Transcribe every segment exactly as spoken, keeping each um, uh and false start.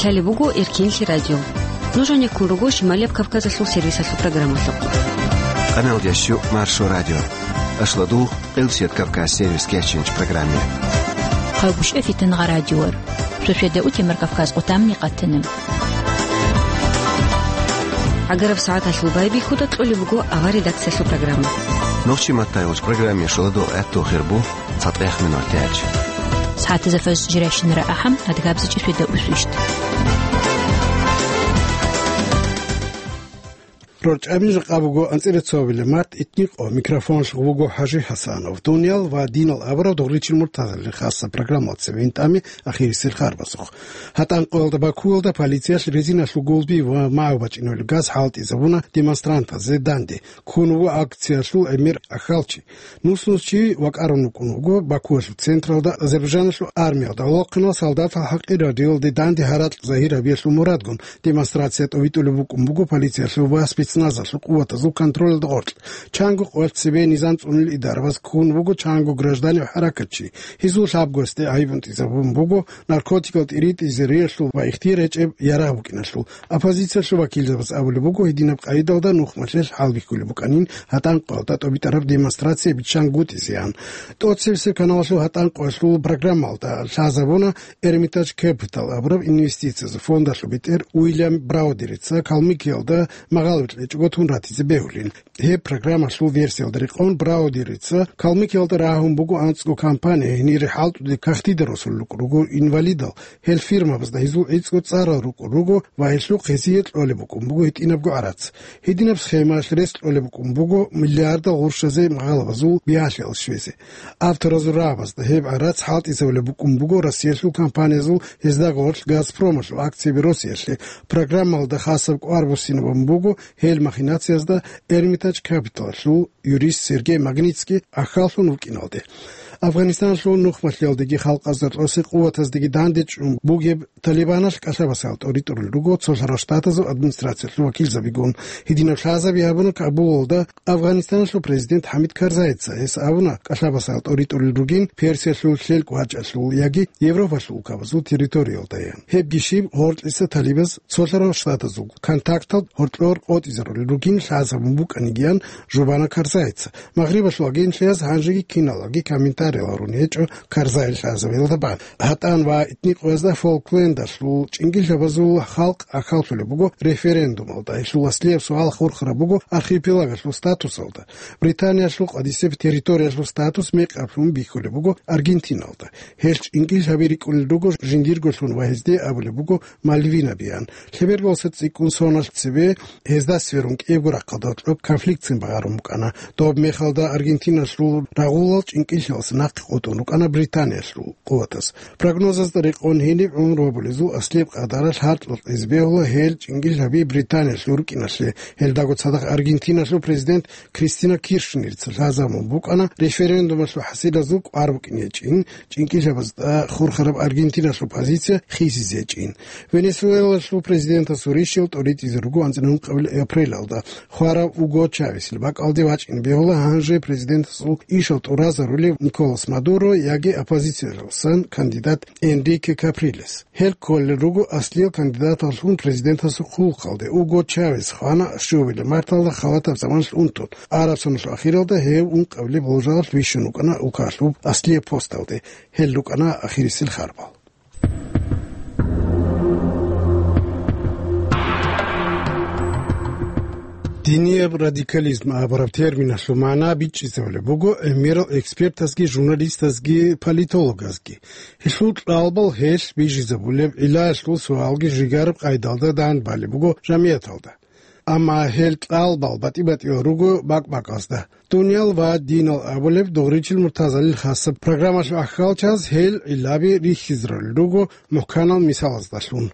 Гьале буго Эркинлъи радио. Нуж гьанеккун руго Шималияб Кавказалъул сервисалъул программалъухъ. Къаналдящу Маршо радио. Ашладул Къилсият Кавказ сервис кечинч программе. Хъавгушев Фитангъа радиор. Шошеда утемар Кавказ къутамни къатана. Агараб сагӀаталъул байбихьуда кьолеб буго авар редакциялъул программа. Нохчи маттайгъуч программе шуладул гӀаттул хирбу. ЦатӀех минут тяч. СагӀатазда фаз жирайщинара ахӀам, адгабзичӀи шведа усвищт. РорчӀабин жакъа буго анцӀила цовила март итникъо, микрофон шугъ буго ХӀажи ХӀасанов. Дуниял ва динал абураб догъричил муртазалли хасса программал цеве интӀами ахирисел харбазухъ. ГьатӀан къоялда Бакуялда полициялъ резиналъул гулби ва магӀу бачӀинавли газ хӀалтӀизабуна демонстрантазе данде. Ккун вуго акциялъул гӀемер ахьалчи. Нус-нус чи вакӀарун вукӀун вуго Бакуялъул централда Азербайджаналъул армиялда гӀолохъинал солдатал хӀакъир радиоялде данде гьаракь загьир гьабиялъул мурадгун демонстрация тӀовитӀулеб букӀун буго полициялъул ва спецназалъул къуватазул контролалда гъоркь. Чанго къоялъ цебе низам цӀунил идарабаз ккун вуго чанго гражданив хӀаракатчи. Гьезул лъабгоясде гӀайиб унтӀизабун буго наркотикал тӀиритӀизе риялъул ва ихтияр гьечӀеб ярагъ букӀиналъул. Оппозициялъул вакилзабаз абулеб буго, гьединаб къайдалда нухмалъе хӀалбихьулеб букӀанин гьатӀан къоялда тӀобитӀараб демонстрация биччан гутӀизеян. ТӀоцебесеб каналалъул гьатӀан къоялъул программалда лъазабуна Эрмитаж Кэпитал абураб инвестициязул фондалъул бетӀер Уильям Браудерица Калмыкиялда магъалиб кьечӀого тун ратизе бегьулин. Гьеб программалъул версиялда рекъон Браудерица Калмыкиялда рагьун буго анцӀго компания, гьенире хӀалтӀуде кагътида росулел рукӀун руго инвалидал, гьел фирмабазда гьезул гӀицӀго цӀарал рукӀун руго ва гьелъухъ гьезие кьолеб букӀун буго гьитӀинабго гӀарац. Гьединаб схемаялъ рес кьолеб букӀун буго миллиардал гъурщазе магъалабазул бигьалъиялъ щвезе. Авторазул рагӀабазда гьеб гӀарац хӀалтӀизабулеб букӀун буго Россиялъул компаниязул, гьезда гъорлъ Газпромалъул акцияби росиялъе. Программалда хасаб кӀвар буссинабун буго гьел махинациязда Эрмитаж Кэпиталалъул юрист Сергей Магнитский ахьаллъун вукӀиналде. Афганистаналъул нухмалъиялдеги халкъазда кьосе къуватаздеги дандечӀун бугеб Талибаналъ кӀалъабасал тӀоритӀурел руго цолъарал штатазул администрациялъул вакилзабигун. Гьединаб лъазаби гьабуна Кабулалда Афганистаналъул президент ХӀамид Карзайица. Гьес абуна, кӀалъабасал тӀоритӀурел ругин Персиялъул лъелкӀ вачӀалъул яги Европалъул улкабазул территориялдаян. Гьебги щиб, гъоркьиса талибаз цолъарал штатазул контактал гьоркьор къотӀизарулел ругин лъазабун букӀанигиян жубана Карзайица. Магърибалъул агентлъияз гьанжеги киналги комментариялъ гьарун гьечӀо Карзайил лъазабиялда бан. ГьатӀан ва итникъоязда Фолклендалъул чӀингилъабазул халкъ ахьаллъулеб буго референдумалда. Гьелъул аслияб суал хурхараб буго архипелагалъул статусалда. Британиялъул къадисеб территориялъул статус мекъаблъун бихьулеб буго Аргентиналда. Гьел чӀингилъаби рикӀкӀунел руго жиндирголъун ва гьезде абулеб буго Мальвинабиян. Лъеберго цӀикӀкӀун соналъ цебе гьезда сверун кӀиябго рахъалда гьоркьоб конфликтцин багъарун букӀана. Доб мехалда Аргентиналъул рагъулал чӀинкӀиллъиялъ нахъе къотӀун рукӀана Британиялъул къуватаз. Прогнозазда рекъон гьениб гӀумру гьабулезул аслияб къадаралъ гьаркьалъизе бегьула гьел чӀинкӀиллъаби Британиялъул рукӀиналъе. Гьелдаго цадахъ Аргентиналъул президент Кристина Киршнерца лъазабун букӀана референдумалъул хӀасилазул кӀвар букӀин гьечӀин, чӀинкӀиллъабазда хурхараб Аргентиналъул позиция хисизе гьечӀин. Венесуэлалъул президентасул рищал тӀоритӀизе руго анцӀила ункъабилеб апрелалда хварав Уго Чавесил бакӀалде вачӀине бегьула гьанже президентасул ишал тӀуразарулев Николас Мадуро яги оппозициялдасан кандидат Энрике Каприлес. Гьел кколел руго аслиял кандидаталлъун президентасул хъулухъалде. Уго Чавес хвана щуабилеб марталда халатаб заманалъ унтун. Араб соналъул ахиралда гьев ункъабилеб болжалалъ вищун вукӀана улкалъуб аслияб посталде. Гьел рукӀана ахирисел харбал. Динияб радикализм абураб терминалъул магӀна бичӀчӀизабулеб буго гӀемерал экспертазги журналистазги политологазги. Гьелъул кьалбал гьелъ бижизабулеб гӀиллаялъул суалги жигараб къайдалда дандбалеб буго жамигӀаталда. Амма гьел кьалбал батӀи-батӀиял руго бакӀ-бакӀазда. Дуниял ва динал абулеб догъричил муртазалил хасаб программалъул ахьалчаз гьел гӀиллаби рихьизарулел руго мухӀканал мисалаздалъун.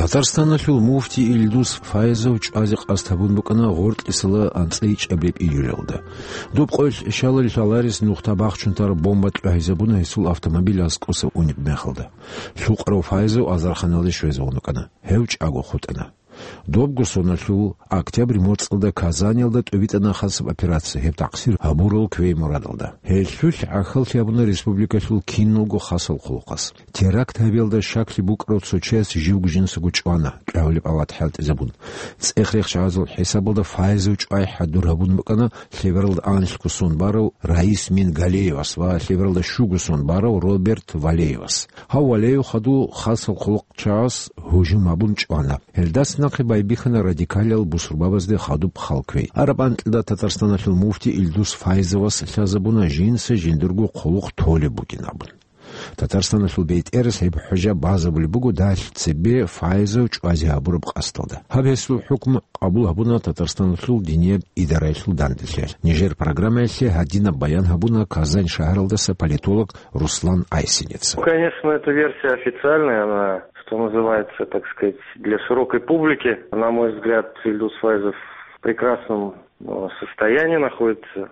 Татарстаналъул муфти Илдус Файзов чӀвазе къасд гьабун букӀана гъоркьисала анцӀила ичӀабилеб июлалда. Доб къоялъ щалал лъаларес нухда бахчун тараб бомба кьвагьизабуна гьесул автомобиль аскӀоса унеб мехалда. Лъукъарав Файзов азарханалде щвезавун вукӀана. Гьев чӀаго хутӀана. Добго соналъул октябрь моцӀалда Казаниялда тӀубитӀана хасаб операция, гьеб такъсир гьабурал квей мурадалда. Гьелъулъ гӀахьаллъи гьабуна республикалъул киналго хасал хъулухъас. Теракт гьабиялда щаклъи букӀарав цо чияс живго жинсаго чӀвана, кӀагьулеб ават хӀалтӀизабун. ЦӀех-рехчагӀазул хӀисабалда Файзов чӀвай хӀадур гьабун букӀана лъебералда анлъго сон барав Раис Мингалеевас ва лъебералда щуго сон барав Роберт Валеевас. Гьав Валеев хадув хасал хъулухъчагӀаз гьужум гьабун чӀвана. Гьелдас нахъе байбихьана радикалиял бусурбабазде хадуб халквей. Араб анкьида Татарстаналъул муфти Илдус Файзовас лъазабуна жинца жиндирго хъулухъ толеб бугин абун. Татарстаналъул бетӀерас гьеб хӀужа базабулеб буго далъ цебе Файзов чӀвазе гьабураб къасдалда. Гьаб гьесул хӀукму къабул гьабуна Татарстаналъул динияб идараялъул данделъи. Нижер программаялъе гьадинаб баян гьабуна Казань шагьаралдаса политолог Руслан Айсинец. Ну, конечно, эта версия официальная, она, что называется, так сказать, для широкой публики. На мой взгляд, Ильдус Файзов в прекрасном, э, состоянии находится,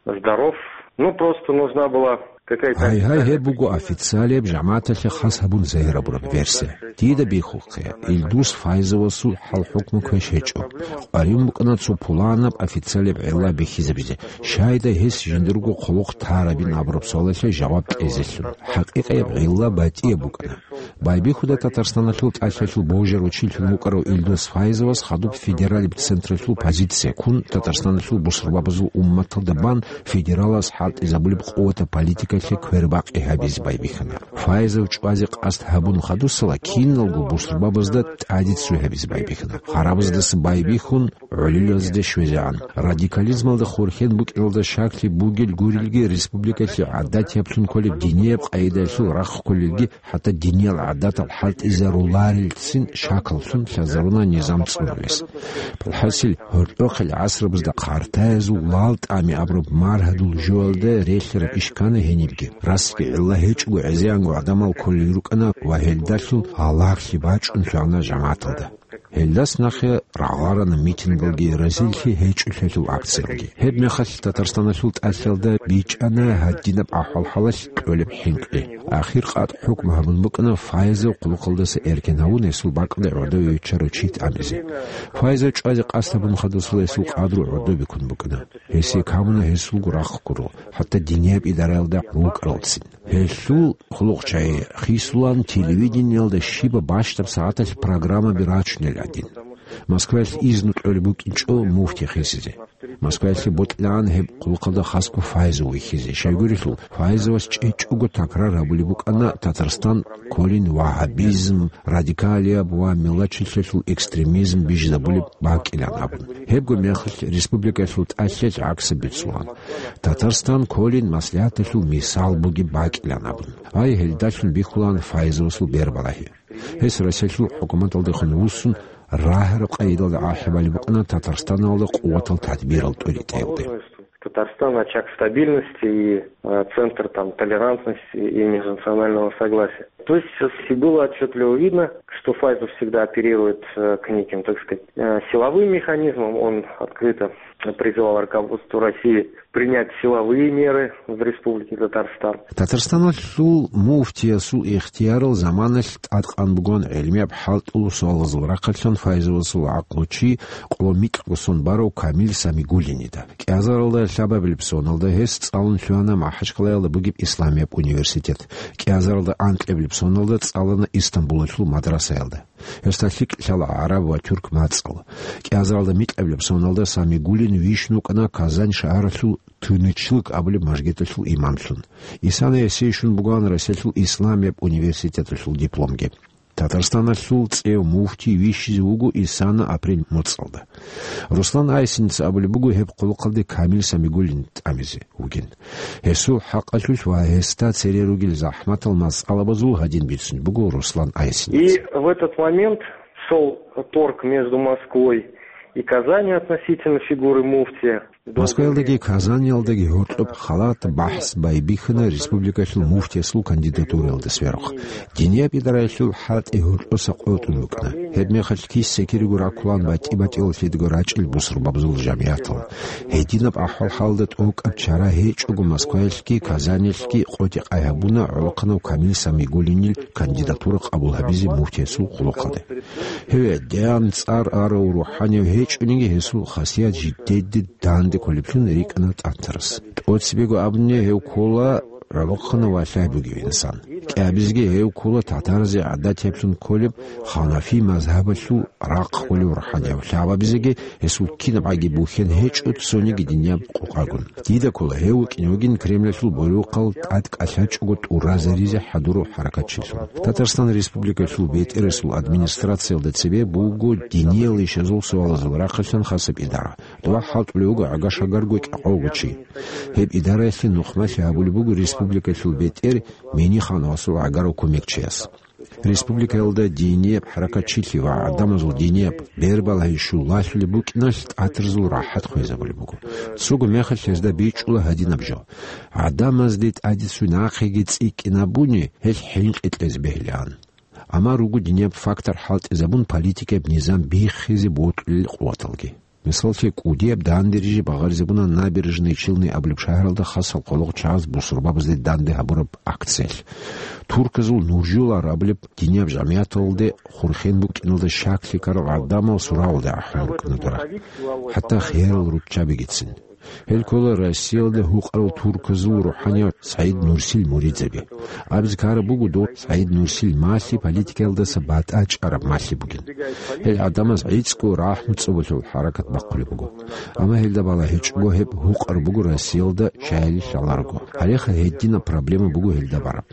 здоров. Ну, просто нужна была какая-то... Гьай-гьай, гьеб буго официалияб, жамагӀаталъе хас гьабун загьир гьабураб версия. Дида бихьухъе, Илдус Файзовасул хӀал-хӀукму квеш гьечӀо. КъваригӀун букӀана цо пуланаб официалияб гӀилла бихьизабизе, щайда гьес жиндирго хъулухъ тарабин абураб суалалъе жаваб кьезелъул. ХӀакъикъияб гӀилла батӀияб букӀана. Байбихьуда Татарстаналъул тӀалъалъул божарав чилъун вукӀарав Илдус Файзовас хадуб федералиб централъул позиция ккун, Татарстаналъул бусурбабазул умматалда бан федералас хӀалтӀизабулеб къуватаб политикалъе квербакъи гьабизе байбихьана. Файзов чӀвазе къасд гьабун хадусала киналго бусурбабазда тӀадицу гьабизе байбихьана. Харабаздаса байбихьун, гӀолилазде щвезегӀан. Радикализмалда хурхен букӀиналда щаклъи бугел гурелги, республикалъе гӀадатияб лъун кколеб динияб къагӀидалъул рахъ кколелги, хӀатта диниял гӀадатал хӀалтӀизаруларелцин шаклъун лъазаруна низам цӀунулес. Палхасил гьоркьохъел гӀасрабазда хъартаязул лал тӀами абураб маргьадул жоялда релълъараб иш ккана гьенибги. Расги гӀилла гьечӀого гӀезегӀанго гӀадамал кколел рукӀана ва гьелдалъун гьалаглъи бачӀун лъугӀана жамагӀаталда. Гьелдас нахъе рагъарана митингалги, разилъи гьечӀолъиялъул акциялги. Гьебмехалъ Татарстаналъул тӀалъалда бичӀчӀана гьадинаб ахӀвал-хӀалалъ кьолеб хӀинкъи. Ахир къатӀ хӀукму гьабун букӀана Файзов хъулухъалдаса эркен гьавун гьесул бакӀалде гӀодове виччарав чи тӀамизе. Файзов чӀвазе къасд гьабун хадусала гьесул къадру гӀодобе ккун букӀана. Гьесие камуна гьесулго рахъ гуро, хӀатта динияб идараялда рукӀаралцин. Гьелъул хъулухъчагӀи хисулан телевидениялда щибаб бащдаб сагӀаталъ программаби рачунел гӀадин. Москваялъ изну кьолеб букӀинчӀо муфти хисизе. Москваялъе бокьилаан гьеб хъулухъалда хасго Файзов вихьизе. Щайгурелъул, Файзовас чӀечӀого такрар гьабулеб букӀана Татарстан кколин вагьабизм, радикалияб ва миллатчилъиялъул экстремизм бижизабулеб бакӀилан абун. Гьебго мехалъ республикаялъул тӀалъал гӀаксаб бицунан. Татарстан кколин маслигӀаталъул мисал бугеб бакӀилан абун. Гьай, гьелдалъун бихьулаан Файзовасул бербалагьи. Гьес Россиялъул хӀукуматалдехун вуссун, рагьараб къайдалда ахӀи балеб букӀана Татарстаналда къуватал тадбирал тӀуритӀаялде. Татарстан — очаг стабильности и, э, центр, там, толерантности и межнационального согласия. То есть с-, было отчётливо видно, что Файзов всегда апеллирует, э, к неким, так сказать, э, силовым механизмам. Он открыто призывал руководство России принять силовые меры в Республике Татарстан. Татарстаналъул муфтиясул ихтиярал заманалъ тӀадкъан бугоан гӀелмияб хӀалтӀул суалазул рахъалъан Файзовасул гӀакълу чи къо микьго сон барав Камил Самигуллинида. КӀиазаралда лъабабилеб соналда гьес цӀалун лъугьана МахӀачкъалаялда бугеб исламияб университет. КӀиазаралда анкьабилеб соналда цӀалана Истамбулалъул мадрасаялда. Гьесда лъикӀ лъала гӀараб ва тюрк мацӀал. КӀиазаралда микьабилеб соналда Самигуллин вищун вукӀана Казань шагьаралъул Тынычлъик абулеб мажгиталъул имамлъун. Исана гьесие щун бугоан Россиялъул исламияб университеталъул дипломги. Татарстаналъул цӀев муфтий вищизе вуго Исана апрель моцӀалда. Руслан Айсинец абулеб буго гьеб хъулухъалде Камил Самигуллин тӀамизе вугин. Гьесул хӀакъалъулъ ва гьесда цере ругел захӀматал масъалабазул гьадин бицунеб буго Руслан Айсинец. И в этот момент шёл торг между Москвой и Казанью относительно фигуры муфтия. Москваялдаги Казаниялдаги гьоркьоб халат бахӀс байбихьана республикалъул муфтиясул кандидатураялда сверухъ. Динияб идараялъул хӀалтӀи гьоркьоса къотӀун букӀана. Гьеб мехалъ киса-кириго раккулаан батӀи-батӀиял лъидго рачӀил бусурбабазул жамигӀатал. Гьединаб ахӀвал-хӀалда тӀокӀаб чара гьечӀого Москваялъги Казанилъги къотӀи-къай гьабуна гӀолохъанав Камил Самигуллинил кандидатура къабул гьабизе муфтиясул хъулухъалде. Гьев гӀедегӀан цӀар арав рухӀанияв гьечӀониги, гьесул хасият жидеде данде кколеблъун рикӀкӀана тӀатарас. ТӀоцебего абуни, гьев ккола гӀолохъанав валлагь бугев инсан. КӀиабизеги гьев ккола татаразе гӀадатиблъун кколеб ханафи мазгьабалъул рахъ кколев рухӀанияв, лъабабизеги гьесул кинабгӀаги бухьен гьечӀо цониги динияб къокъагун. Дида ккола, гьев вукӀине вугин Кремлалъул борохъал тӀад кӀалъачӀого тӀуразаризе хӀадурав хӀаракатчилъун. Татарстан Республикалъул бетӀерасул администрациялда цебе буго диниял ишазул суалазул рахъалъан хасаб идара. Дова хӀалтӀулев вуго гӀага-шагарго кӀикъого чи. Гьеб идараялъе нухмалъи гьабулеб буго республикалъул бетӀер Минихановасул гӀагарав кумекчияс. Республикаялда динияб хӀаракатчилъи ва гӀадамазул динияб бербалагьи щулалъулеб букӀиналъ тӀатарзул рахӀат хвезабулеб буго. Цого мехалъ гьезда бичӀчӀула гьадинаб жо: гӀадамазде тӀадицун нахъеги цӀикӀкӀинабуни, гьел хӀинкъи кьезе бегьилаан. Амма руго динияб фактор хӀалтӀизабун политикаяб низам биххизе бокьулел къуваталги. Мисаллъи, кӀудияб дандериже багъаризабуна Набережные Челны абулеб шагьаралда хасал хъулухъчагӀаз бусурбабазде данде гьабураб акциялъ. Турказул Нуржулар абулеб динияб жамигӀаталде хурхен букӀиналда щаклъи ккарал гӀадамал сураялде ахӀун рукӀана дора, хӀатта херал руччабигицин. Гьел ккола Россиялда гьукъарал турказул рухӀанияв СагӀид Нурсил муридзаби. Абизе ккараб буго, дов СагӀид Нурсил малъи политикаялдаса батӀа чӀараб малъи бугин. Гьел гӀадамаз гӀицӀго рахӀму цӀобалъул хӀаракат бахъулеб буго. Амма гьелда балагьичӀого, гьеб гьукъараб буго Россиялда чагьи лъаларого. Гьалеха гьединаб проблема буго гьелда бараб.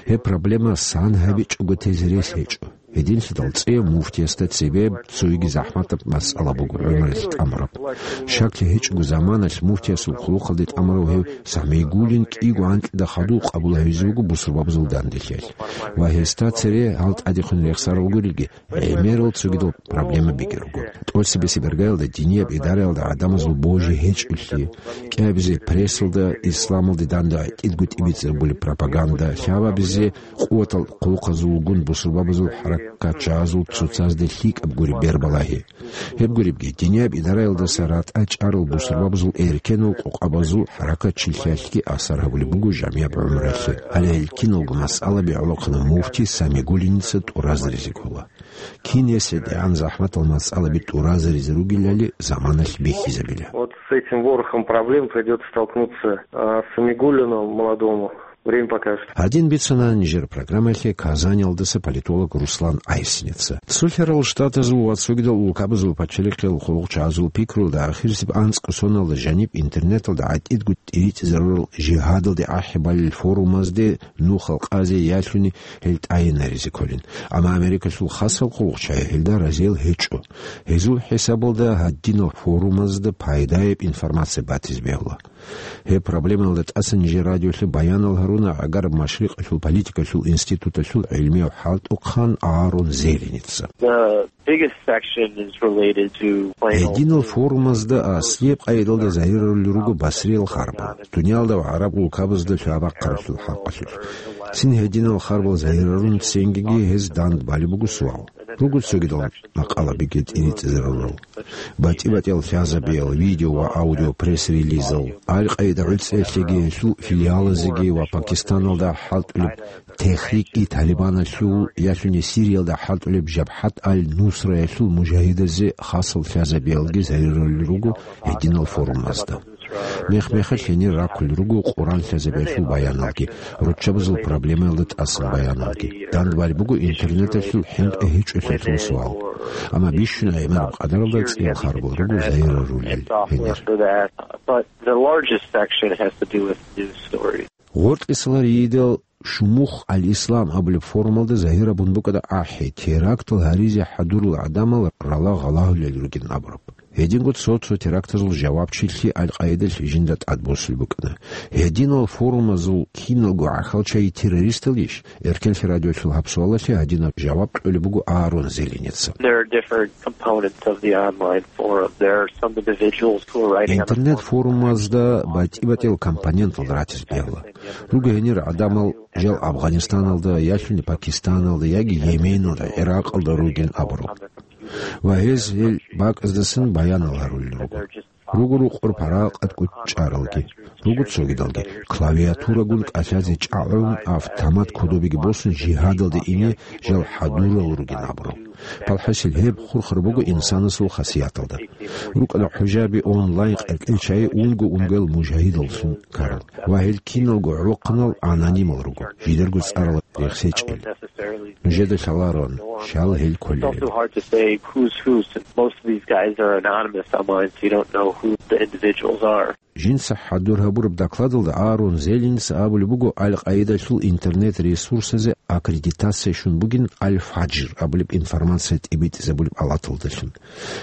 Гьеб проблема сан гьабичӀого тезе рес гьечӀо. Гьединлъидал цӀияб муфтиясда цебе цоги захӀматаб масъала буго гӀумруялъ тӀамураб. Щаклъи гьечӀого заманалъ муфтиясул хъулухъалде тӀамурав гьев Самигуллин кӀиго анкьида хадув къабул гьавизе вуго бусурбабазул данделъиялъ. Ва гьесда цере гьал тӀадехун рехсарал гурелги, гӀемерал цогидал проблемабиги руго. ТӀоцебесеб иргаялда динияб идараялда гӀадамазул божи гьечӀолъи, кӀиабизе прессалда исламалде данде гӀетӀидго тӀибитӀизабулеб пропаганда, лъабабизе къуватал хъулухъазулгун бусурбабазул хӀаракатчагӀазул цоцазде лъикӀаб гуреб бербалагьи. Гьеб гуребги, динияб идараялдаса ратӀа чӀарал бусурбабазул эркенал къокъабазул хӀаракатчилъиялъги асар гьабулеб буго жамияб гӀумруялъе. Гьале гьел киналго масъалаби гӀолохъанав муфти Самигуллиница тӀуразаризе ккола. Кин гьес гьедигӀан захӀматал масъалаби тӀуразаризе ругелали заманалъ бихьизабила. Вот с этим ворохом проблем придётся столкнуться, а, Самигуллину молодому. Время покажет. Гьадин бицана нижер программаялъе Казаниялдаса политолог Руслан Айсинеца. Цолъарал Штатазул ва цогидал улкабазул пачалихъиял хъулухъчагӀазул пикрулда, ахирисеб анцӀго соналда жаниб интернеталда гӀатӀидго тӀиритӀизарурал жигьадалде ахӀи балел форумазде нухал къазе ялъуни гьел тӀайинаризе кколин. Амма Америкалъул хасал хъулухъчагӀи гьелда разиял гьечӀо. Гьезул хӀисабалда гьадинал форумазда пайдаяб информация батизе бегьула. Гьеб проблемаялда тӀаса нижер радиолъе баянал гьаруна ГӀагараб Машрикъалъул политикалъул институталъул гӀилмияв хӀалтӀухъан Аарон Зеленица. The biggest section is related to plain old Гьединал форумазда аслияб къайдалда загьирарулел руго Басриял харбал, дуниялда ва гӀараб улкабазда лъабахъаралъул хӀакъалъулъ. Цин гьединал харбал загьирарун цинги гьез дандбалеб буго суал. Руго цогидал макъалабиги тӀиритӀизарурал. БатӀи-батӀиял лъазабиял, видео ва аудио пресс-релизал, Аль-Къаида гӀуцӀиялъеги гьелъул филиалазеги ва Пакистаналда хӀалтӀулеб Техрик-и-Талибаналъул, ялъуни Сириялда хӀалтӀулеб Жабхат аль-Нусраялъул мужагьидазе хасал лъазабиялги загьирарулел руго гьединал форумазда. Мех-мехалъ гьенир раккулел руго Къуръан лъазабиялъул баяналги, руччабазул проблемаялда тӀасан баяналги. Дандбалеб буго интернеталъул хӀинкъи гьечӀолъиялъул суал. Амма бищун гӀемераб къадаралда цӀиял харбал руго загьирарулел гьенир. But the largest section has to do with news stories. Гъоркьисаларийидал Шумух аль-Ислам абулеб форумалда загьирабун букӀана ахӀи, терактал гьаризе хӀадурал гӀадамал рала гъалагьулел ругин абураб. Гьединго цо-цо терактазул жавабчилъи Аль-Къаидалъ жинда тӀадбосулеб букӀана. Гьединал форумазул киналго гӀахьалчагӀи террористалищ? Эркенлъи радиолъул гьаб суалалъе гьадинаб жаваб кьолеб буго Аарон Зеленица. There are different components of the online forum. There are some individuals who are writing on the forum. Интернет-форумазда батӀи-батӀиял компонентал ратиз бегьула. Руго гьенир гӀадамал жал Афганистаналда, ялъуни Пакистаналда яги Йеменалда, ГӀиракъалда ругин абурал. Ва гьез гьел бакӀаздасан баянал гьарулел руго. Руго рукъор паракъат кӀучӀаралги, руго цогидалги, клавиатурагун кӀалъазе чӀагӀун, автомат кодобиги босун жигьадалде ине жал хӀадурал ругин абурал. Палхасил гьеб хурхар буго инсанасул хасияталда. РукӀана хӀужаби онлайн къеркьел чагӀи унго-унгоял мужагьидаллъун ккарал. Ва гьел киналго гӀолохъанал анонимал руго, жидерго цӀарал рехсечӀел. Нужеда лъалароан, щал гьел кколел. It's also hard to say who's who, since most of these guys are anonymous online, so you don't know who the individuals are. Жинца хӀадур гьабураб докладалда Аарон Зеленица абулеб буго, Аль-Къаидалъул интернет-ресурсазе аккредитация щун бугин Аль-Фаджр абулеб информация тӀибитӀизабулеб алаталдалъун.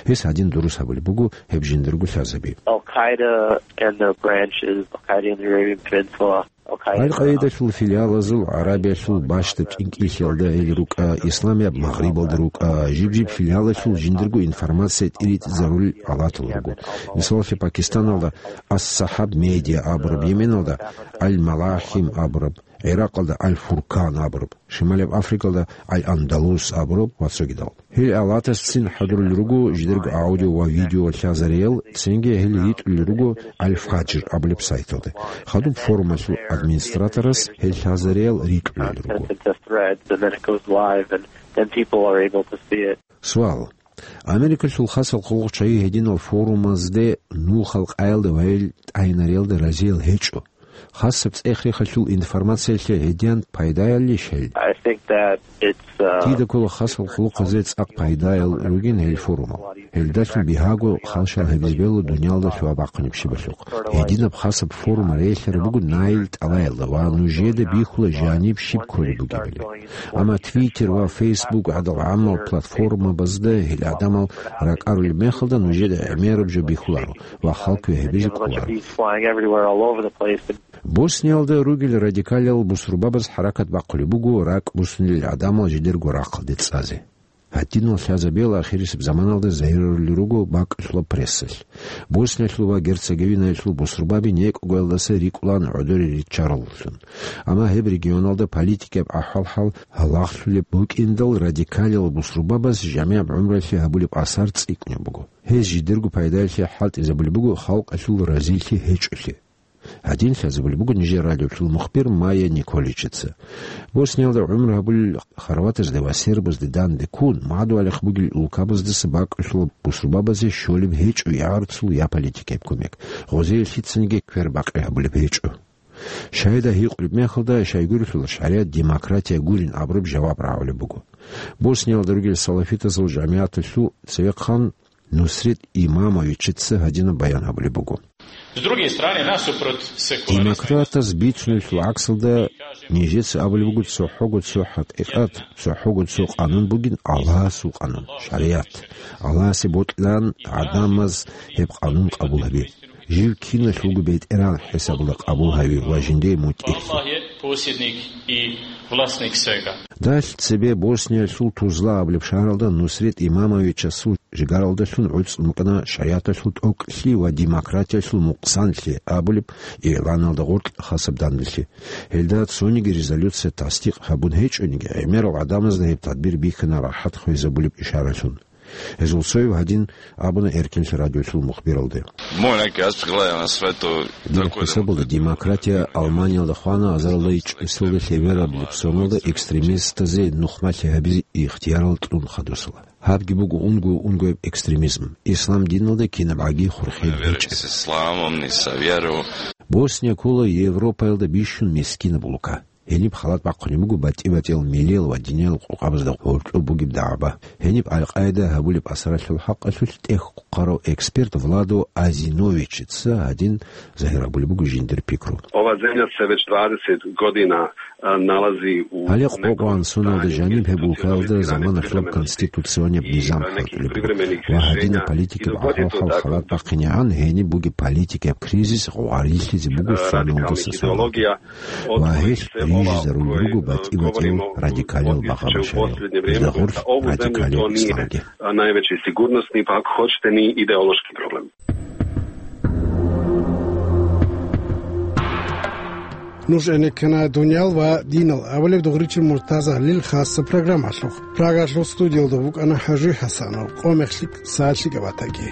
Гьес гьадин дурус гьабулеб буго гьеб жиндирго лъазаби. Al-Qaeda and their branches, Al-Qaeda in the Arabian Peninsula, Аль-Къаидалъул филиалазул ГӀарабиялъул бащдаб кӀинкӀиллъиялда гьел рукӀа, Исламияб Магърибалда рукӀа, жиб-жиб филиалалъул жиндирго информация тӀиритӀизарулел алатал руго. Мисалалъе, Пакистаналда Ас-Сахаб Медиа абураб, Йеменалда Аль-Малахим абураб, ГӀиракъалда Аль-Фуркан абураб, Шималияб Африкалда Аль-Андалус абураб ва цогидал. Гьел алатасцин хӀадурулел руго жидерго аудио ва видео лъазариял, цинги гьел ритӀулел руго Аль-Фаджр абулеб сайталда. Хадуб форумалъул администраторас гьел лъазариял рикӀкӀунел руго. Sent into threads, and then it goes live, and then people are able to see it. Суал. Америкалъул хасал хъулухъчагӀи гьединал форумазде нухал къаялда ва гьел тӀагӀинариялда разиял гьечӀо. Хасаб цӀех-рехалъул информациялъе гьедин пайдаялищ гьел? I think that it's, uh, Дида ккола хасал хъулухъазе цӀакъ пайдаял ругин гьел форумал. Гьелдалъун бигьаго халщал гьабизе бегьула дуниялда лъугьа-бахъунеб щибалъухъ. Гьединаб хасаб форум релълъараб буго наил тӀалаялда ва нужеда бихьула жаниб щиб кколеб бугебали. Амма Twitter ва Facebook гӀадал гӀаммал платформабазда гьел гӀадамал ракӀарулеб мехалда нужеда гӀемераб жо бихьуларо ва халкуе гьабизе кӀоларо. These flying everywhere all over the place. Босниялда ругел радикалиял бусурбабаз хӀаракат бахъулеб буго ракӀ буссунел гӀадамал жидерго рахъалде цӀазе. Гьадинал лъазабиял ахирисеб заманалда загьирарулел руго бакӀалъулаб прессалъ. Босниялъул ва Герцеговинаялъул бусурбаби некӀогоялдаса рикӀкӀунеб гӀодоре риччараллъун. Амма гьеб регионалда политикияб ахӀвал-хӀал гьалагълъулеб букӀиндал радикалиял бусурбабаз жамигӀаб гӀумруялъе гьабулеб асар цӀикӀкӀунеб буго. Гьез жидерго пайдаялъе хӀалтӀизабулеб буго халкъалъул разилъи гьечӀолъи. Гьадин лъазабулеб буго нижер радиолъул мухбир Майя Николичица. Босниялда гӀумру гьабулел хорватазде ва сербазде данде ккун, мадугьалихъ бугел улкабаздаса бакӀалъулаб бусурбабазе щолеб гьечӀо я гӀарцул, я политикаяб кумек. Гъозие лъицаниги квербакъи гьабулеб гьечӀо. Шагьида гьикъулеб мехалда, щайгурелъул шаригӀат демократия гурин абураб жаваб рагӀулеб буго. Босниялда ругел салафитазул жамигӀаталъул цевехъан Нусрет Имамовичица гьадинаб баян гьабулеб буго. С другой стороны, насупрот секуляризма. Демократаз бицунелъул гӀаксалда нижеца абулеб буго цохӀого цо хӀакъикъат, цохӀого цо къанун бугин Аллагьасул къанун, шаригӀат. Аллагьасе бокьилан гӀадамаз гьеб къанун къабул гьабе. Жив киналъулго бетӀеран хӀисабалда къабул гьаве ва жиндие мутӀигӀлъи. Аллагь посредник и властник всего. Далъ цебе Босниялъул Тузла абулеб шагьаралда Нусрет Имамовичасул жигаралдалъун гӀуцӀун букӀана шаригӀаталъул тӀокӀлъи ва демократиялъул мукъсанлъи абулеб игӀланалда гъоркь хасаб данделъи. Гьелда цониги резолюция тасдикъ гьабун гьечӀониги, гӀемерал гӀадамазда гьеб тадбир бихьана рахӀат хвезабулеб ишаралъун. Гьезул цояв гьадин абуна Эркенлъи радиолъул мухбиралде. Мой некий аспект глядя на свето. Дир хӀисабалда демократия Алманиялда хвана азарилда чӀусилда лъебераб липсоналда экстремистазе нухмалъи гьабизе ихтиярал кьун хадусала. Гьабги буго унго-унгояб экстремизм. Ислам диналда кинабгӀаги хурхел гьечӀеб. С исламом, не со веру. Босния ккола Европаялда бищун мискинаб улка. Гьениб халат бахъунеб буго батӀи-батӀиял милиял ва диниял къокъабазда гьоркьоб бугеб дагӀба. Гьениб Аль-Къаида гьабулеб асаралъул хӀакъалъулъ тӀехь хъварав эксперт Владо Азиновичица гьадин загьир гьабулеб буго жиндир пикру. Ова земля се веч двадесет година, а, налази у... Гьале къокъ ва ансуналда жаниб гьеб улкаялда заманалъуб конституционияб низам хӀалтӀулеб буго ва гьадинаб политикаб гӀахьаллъал халат бахъинегӀан гьениб бугеб политикаяб кризис гъварилъизе буго соналдаса соналде. Ва гьелъ рижизарулел руго батӀи-батӀиял радикалиял багъа-башариялъ, гьезда гъорлъ радикалияб исламги. Najveći sigurnosni, pa ako hoćete, ni ideološki problem. Нуж гӀенеккана «Дуниял ва динал» абулеб дугӀричи Муртазагьлил хасаб программалъухъ. Прагалъул студиялда вукӀана ХӀажи ХӀасанов, къо-мех лъикӀ, сагӀат лъикӀаб батаги.